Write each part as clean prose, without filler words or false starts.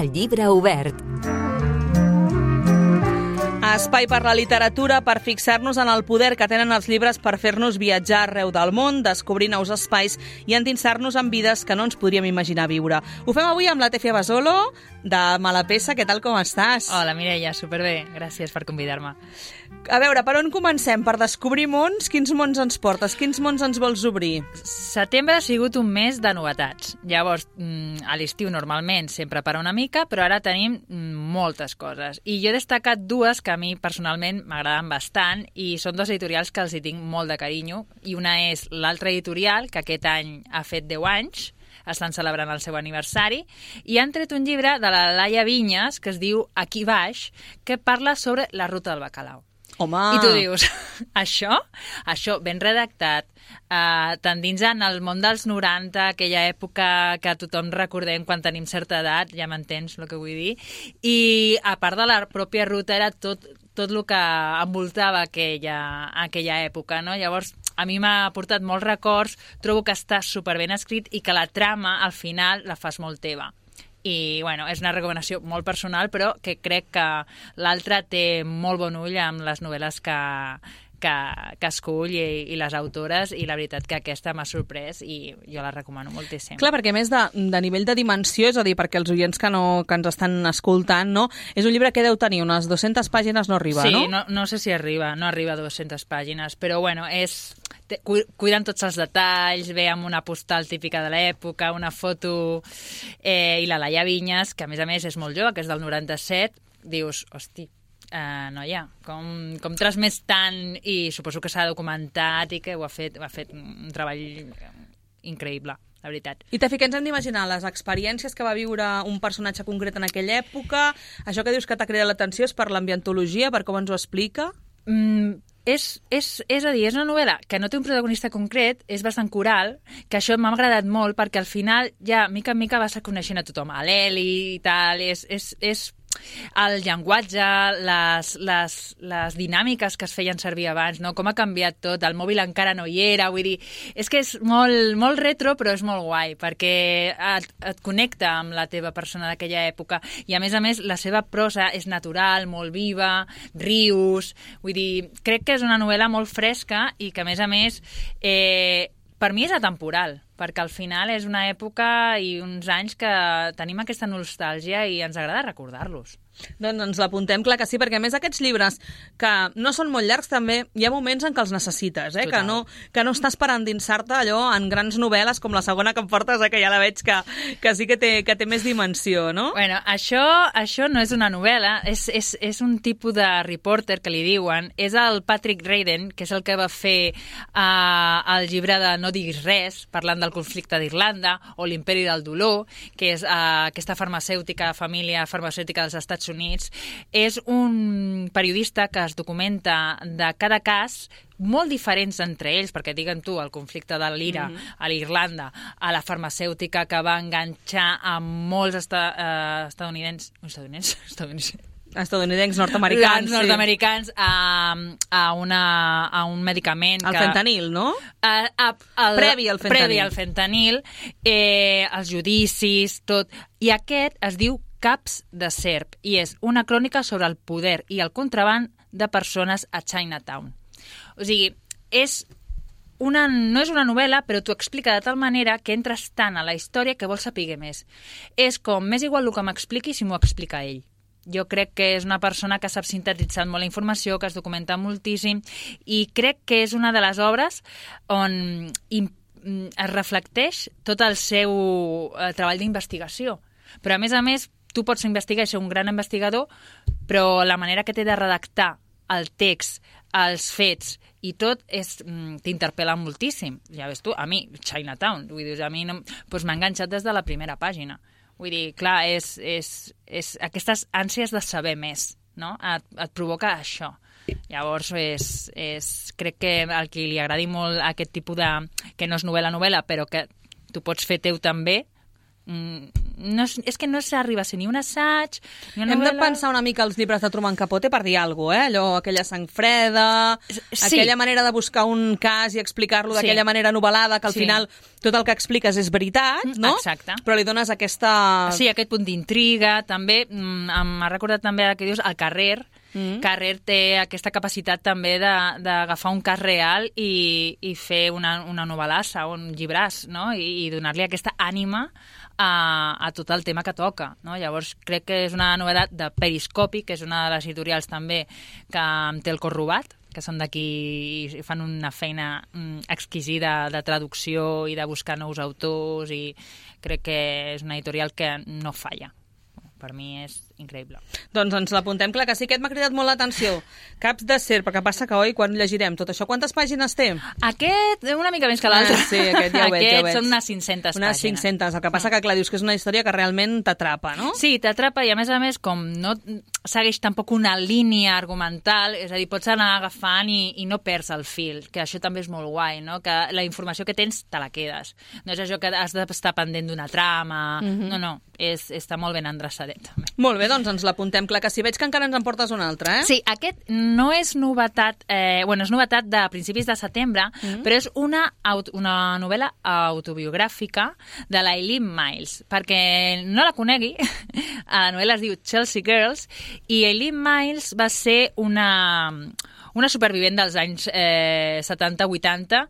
El llibre obert. Espai per la literatura, per fixar-nos en el poder que tenen els llibres per fer-nos viatjar arreu del món, descobrir nous espais i endinsar-nos en vides que no ens podríem imaginar viure. Ho fem avui amb la Tefia Basolo, de Malapesa. Què tal, com estàs? Hola, Mireia, superbé. Gràcies per convidar-me. A veure, per on comencem? Per descobrir mons? Quins mons ens portes? Quins mons ens vols obrir? Setembre ha sigut un mes de novetats. Llavors, a l'estiu normalment sempre para una mica, però ara tenim moltes coses. I jo he destacat dues que a mi personalment m'agraden bastant i són dos editorials que els hi tinc molt de carinyo. I una és l'altra editorial, que aquest any ha fet 10 anys, estan celebrant el seu aniversari, i han tret un llibre de la Laia Vinyes que es diu Aquí baix, que parla sobre la ruta del bacalao. Home! I tu dius, això ben redactat, t'endinsant al món dels 90, aquella època que tothom recordem quan tenim certa edat, ja m'entens el que vull dir, i a part de la pròpia ruta era tot el que envoltava aquella època, no? Llavors, a mi m'ha portat molts records, trobo que està superben escrit i que la trama, al final, la fas molt teva. I, bueno, és una recomanació molt personal, però que crec que l'altre té molt bon ull amb les novel·les que escull i les autores, i la veritat que aquesta m'ha sorprès i jo la recomano moltíssim. Clar, perquè a més de nivell de dimensió, és a dir, perquè els oients que ens estan escoltant, no? És un llibre que deu tenir unes 200 pàgines, no arriba, no? Sí, no sé si arriba, no arriba a 200 pàgines, però bueno, cuiden tots els detalls, ve amb una postal típica de l'època, una foto, i la Laia Vinyes, que a més és molt jove, que és del 97, dius, hosti, noia, com transmès tant, i suposo que s'ha documentat i que ho ha fet un treball increïble, la veritat. I Tefi, què ens hem d'imaginar? Les experiències que va viure un personatge concret en aquella època, això que dius que t'ha cridat l'atenció és per l'ambientologia, per com ens ho explica? És a dir, és una novel·la que no té un protagonista concret, és bastant coral, que això m'ha agradat molt perquè al final ja mica en mica vas coneixent a tothom, a l'Eli i tal, és el llenguatge, les dinàmiques que es feien servir abans, no? Com ha canviat tot, el mòbil encara no hi era, vull dir, és que és molt, molt retro, però és molt guai, perquè et connecta amb la teva persona d'aquella època, i a més, la seva prosa és natural, molt viva, rius, vull dir, crec que és una novel·la molt fresca i que a més, per mi és atemporal, perquè al final és una època i uns anys que tenim aquesta nostàlgia i ens agrada recordar-los. Doncs ens l'apuntem, clar que sí, perquè a més aquests llibres que no són molt llargs també hi ha moments en què els necessites, que no estàs per endinsar-te allò en grans novel·les com la segona que em portes, que ja la veig que sí que té més dimensió, no? Bueno, això no és una novel·la, és un tipus de reporter que li diuen, és el Patrick Radden, que és el que va fer el llibre de No diguis res, parlant del conflicte d'Irlanda, o l'Imperi del dolor, que és aquesta família farmacèutica dels Estats Units. És un periodista que es documenta de cada cas molt diferents entre ells, perquè diguen tu, el conflicte de l'Ira a l'Irlanda, a la farmacèutica que va enganxar a molts estadounidencs nord-americans a un medicament. El fentanil, no? Previ al fentanil, els judicis, tot. I aquest es diu Caps de serp, i és una crònica sobre el poder i el contraban de persones a Chinatown. O sigui, no és una novel·la, però t'ho explica de tal manera que entres tant a la història que vols saber més. És com, m'és igual el que m'expliqui si m'ho explica ell. Jo crec que és una persona que sap sintetitzar molt la informació, que es documenta moltíssim, i crec que és una de les obres on es reflecteix tot el seu treball d'investigació. Però, a més, tu pots investigar i ser un gran investigador, però la manera que té de redactar el text, els fets i tot t'interpel·la moltíssim. Ja ves tu, a mi, Chinatown, vull dir, a mi m'ha enganxat des de la primera pàgina. Vull dir, clar, és aquestes ànsies de saber més, no? Et provoca això. Llavors, crec que al qui li agradi molt aquest tipus de... que no és novel·la, però que tu pots fer teu també, és que no s'arriba a ser ni un assaig, ni una Hem novel·la... de pensar una mica els llibres de Truman Capote per dir alguna cosa, allò, aquella sang freda, aquella manera de buscar un cas i explicar-lo d'aquella manera novel·lada, que al final tot el que expliques és veritat, no? Exacte. Però li dones aquesta... Sí, aquest punt d'intriga, també, m'ha recordat també el que dius, el Carrer. Carrer té aquesta capacitat també d'agafar un cas real i fer una novel·lassa, un llibràs, no? I donar-li aquesta ànima a tot el tema que toca, no? Llavors crec que és una novetat de Periscopi, que és una de les editorials també que em té el cor robat, que són d'aquí i fan una feina exquisida de traducció i de buscar nous autors, i crec que és una editorial que no falla. Per mi és increïble. Doncs ens l'apuntem, clar que sí, aquest m'ha cridat molt l'atenció. Caps de serp, perquè passa que, oi, quan llegirem tot això, quantes pàgines té? Aquest una mica més que l'altre. Sí, aquest ja ho veig, Aquest són unes 500 pàgines. Unes 500, el que passa que, clar, dius que és una història que realment t'atrapa, no? Sí, t'atrapa i, a més, com no segueix tampoc una línia argumental, és a dir, pots anar agafant i no perds el fil, que això també és molt guai, no? Que la informació que tens te la quedes. No és això que has d'estar pendent d'una trama, no, està molt ben endreçadet, també. Molt bé, doncs ens l'apuntem. Clar que sí, veig que encara ens en portes un altre, Sí, aquest no és novetat, és novetat de principis de setembre, però és una novel·la autobiogràfica de l'Eileen Myles. Perquè no la conegui, la novel·la es diu Chelsea Girls, i Eileen Myles va ser una supervivent dels anys 70-80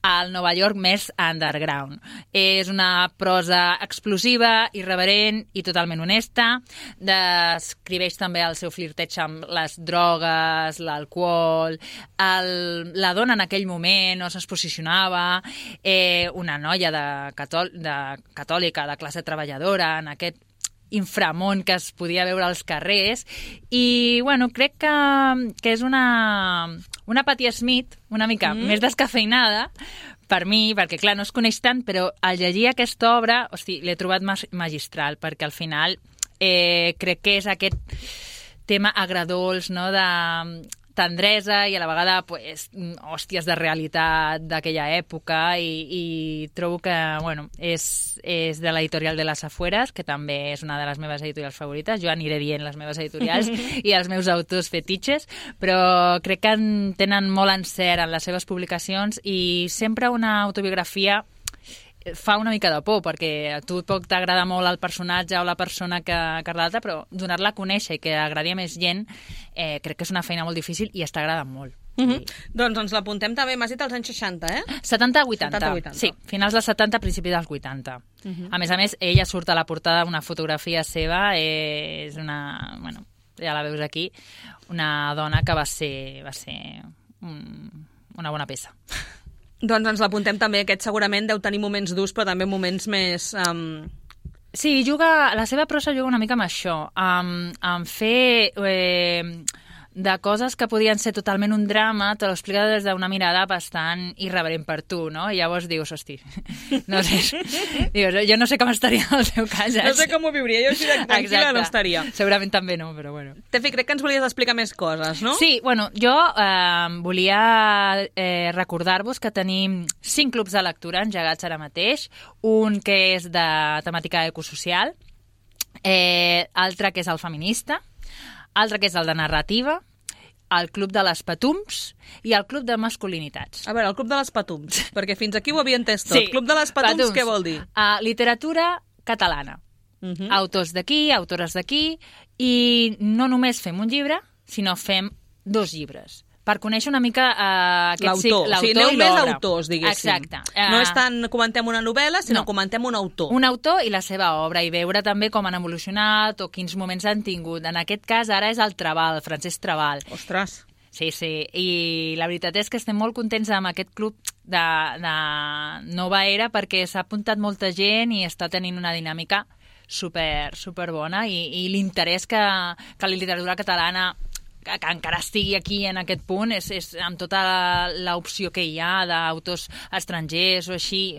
al Nova York més underground. És una prosa explosiva, irreverent i totalment honesta. Descriveix també el seu flirteig amb les drogues, l'alcohol, la dona en aquell moment no es posicionava, una noia catòlica, de classe treballadora, en aquest inframón que es podia veure als carrers, i bueno, crec que és una Patti Smith una mica més descafeinada per mi, perquè clar, no es coneix tant, però al llegir aquesta obra, l'he trobat magistral, perquè al final crec que és aquest tema agredolç, no?, de tendresa i a la vegada hòsties de realitat d'aquella època, i trobo que és de l'editorial de les Afueres, que també és una de les meves editorials favorites. Jo aniré dient les meves editorials i els meus autors fetitxes, però crec que tenen molt encert en les seves publicacions, i sempre una autobiografia fa una mica de por, perquè a tu pot t'agrada molt el personatge o la persona que l'altra, però donar-la a conèixer i que agradi a més gent, crec que és una feina molt difícil i està agradant molt. Doncs ens l'apuntem també, m'has dit als anys 60, 70-80. Sí, finals dels 70, principis dels 80. A més, ella surt a la portada una fotografia seva, és una... ja la veus aquí, una dona que va ser una bona peça. Doncs ens l'apuntem també, aquest segurament deu tenir moments durs, però també moments més... Sí, la seva prosa juga una mica amb això, amb fer de coses que podien ser totalment un drama, te l'explica des d'una mirada bastant irreverent per tu, no? I llavors dius, no sé, jo no sé com estaria el seu cas. No sé com ho viuria, jo així de tranquil·la no estaria. Segurament també no, però bueno. Tefi, crec que ens volies explicar més coses, no? Sí, jo volia recordar-vos que tenim 5 clubs de lectura engegats ara mateix, un que és de temàtica ecosocial, altre que és el feminista, altre que és el de narrativa, el Club de les Patums i el Club de Masculinitats. A veure, el Club de les Patums, perquè fins aquí ho havia entès tot. Sí, Club de les Patums, què vol dir? Literatura catalana. Autors d'aquí, autores d'aquí, i no només fem un llibre, sinó fem 2 llibres, per conèixer una mica l'autor i l'obra. Més autors, diguéssim. Exacte. No és tant comentem una novel·la, sinó comentem un autor. Un autor i la seva obra, i veure també com han evolucionat o quins moments han tingut. En aquest cas, ara és el Trabal, Francesc Trabal. Ostres! Sí, i la veritat és que estem molt contents amb aquest club de nova era, perquè s'ha apuntat molta gent i està tenint una dinàmica super bona, i l'interès que la literatura catalana, que encara estigui aquí en aquest punt, és amb tota l'opció que hi ha d'autors estrangers o així,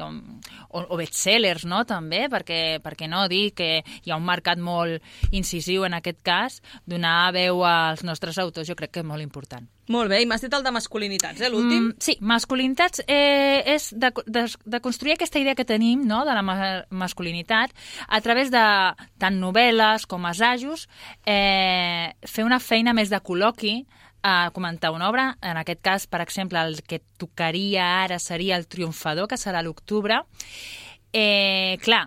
o bestsellers, no?, també, perquè no dir que hi ha un mercat molt incisiu en aquest cas, donar veu als nostres autors jo crec que és molt important. Molt bé, i m'has dit el de masculinitats, l'últim? Sí, masculinitats és de construir aquesta idea que tenim, no?, de la masculinitat a través de tant novel·les com assajos, fer una feina més de col·loqui, a comentar una obra. En aquest cas, per exemple, el que tocaria ara seria El triomfador, que serà a l'octubre. Clar,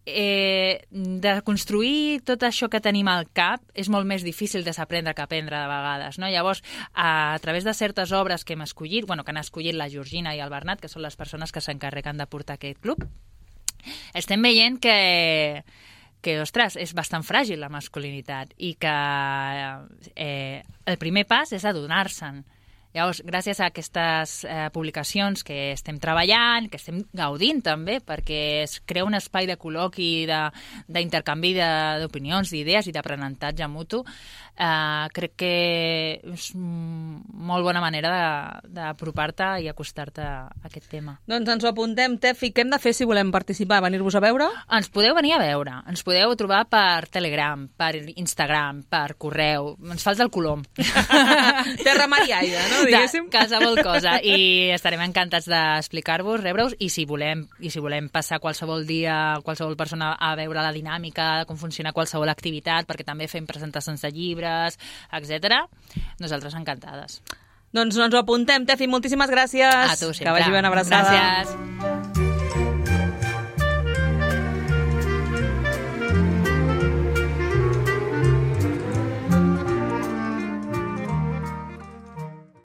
de construir tot això que tenim al cap és molt més difícil desaprendre que aprendre de vegades, no? Llavors, a través de certes obres que hem escollit, que han escollit la Georgina i el Bernat, que són les persones que s'encarreguen de portar aquest club, estem veient que, ostres, és bastant fràgil la masculinitat i que el primer pas és adonar-se'n. Llavors, gràcies a aquestes publicacions que estem treballant, que estem gaudint també, perquè es crea un espai de col·loqui, d'intercanvi d'opinions, d'idees i d'aprenentatge mutu, crec que és molt bona manera d'apropar-te i acostar-te a aquest tema. Doncs ens ho apuntem, Tefi. Què hem de fer si volem participar? Venir-vos a veure? Ens podeu venir a veure. Ens podeu trobar per Telegram, per Instagram, per correu. Ens falta el colom. Terra, mar i aire, no? Diguéssim. Qualsevol cosa. I estarem encantats d'explicar-vos, rebre-us, i si volem passar qualsevol dia, qualsevol persona a veure la dinàmica, com funciona qualsevol activitat, perquè també fem presentacions de llibres, etc. Nosaltres encantades. Doncs ens ho apuntem, Tefi. Moltíssimes gràcies. A tu sempre. Que vagi ben abraçada. Gràcies.